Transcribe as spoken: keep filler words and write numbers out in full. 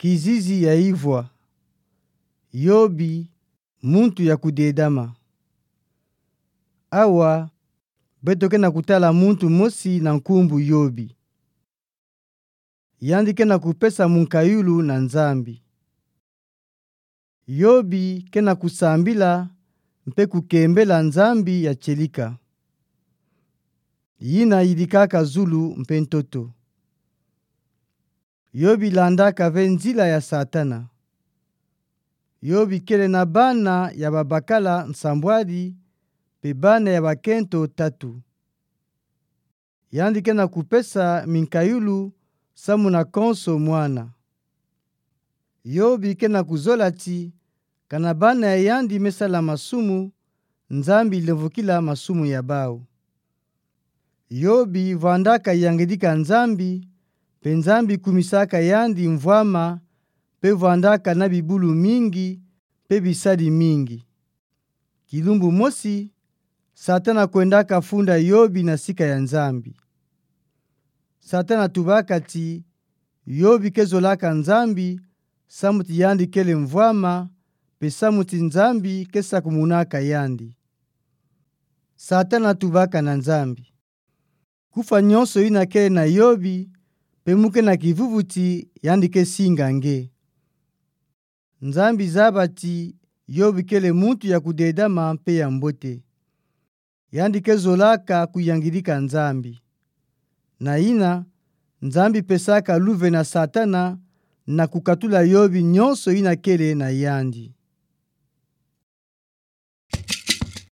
Kizizi ya ivwa. Yobi, muntu ya kudedama. Awa, beto ke na kutala muntu mosi na nkumbu Yobi. Yandi ke na kupesa munkayulu na Nzambi. Yobi ke na kusambila mpe kukembela Nzambi ya tielika. Yina yidikaka zulu mpe ntoto. Yobi landaka ve nzila ya Satana. Yobi kele na bana ya babakala nsambwadi, mpe bana ya bakento tatu. Yandi ke na kupesa minkayulu samu na konso mwana. Yobi ke na kuzola ti, kana bana ya yandi me sala masumu, Nzambi lemvokila masumu ya bau. Yobi vwandaka yangidika Nzambi, mpe Nzambi kumisaka yandi mvwama, mpe vwandaka na bibulu mingi, mpe bisadi mingi. Kilumbu mosi, Satana kwendaka funda Yobi na sika ya Nzambi. Satana tubaka ti, Yobi ke zolaka Nzambi, samu ti yandi kele mvwama, mpe samu ti Nzambi ke sakumunaka yandi. Satana tubaka na Nzambi. Kufwa nyonso yina kele na Yobi, mpe mu ke na kivuvu ti yandi ke singa nge. Nzambi zaba ti Yobi kele muntu ya kudedama mpe ya mbote. Yandi ke zolaka kuyangidika Nzambi. Na yina, Nzambi pesaka luve na Satana na kukatula Yobi nyonso yina kele na yandi.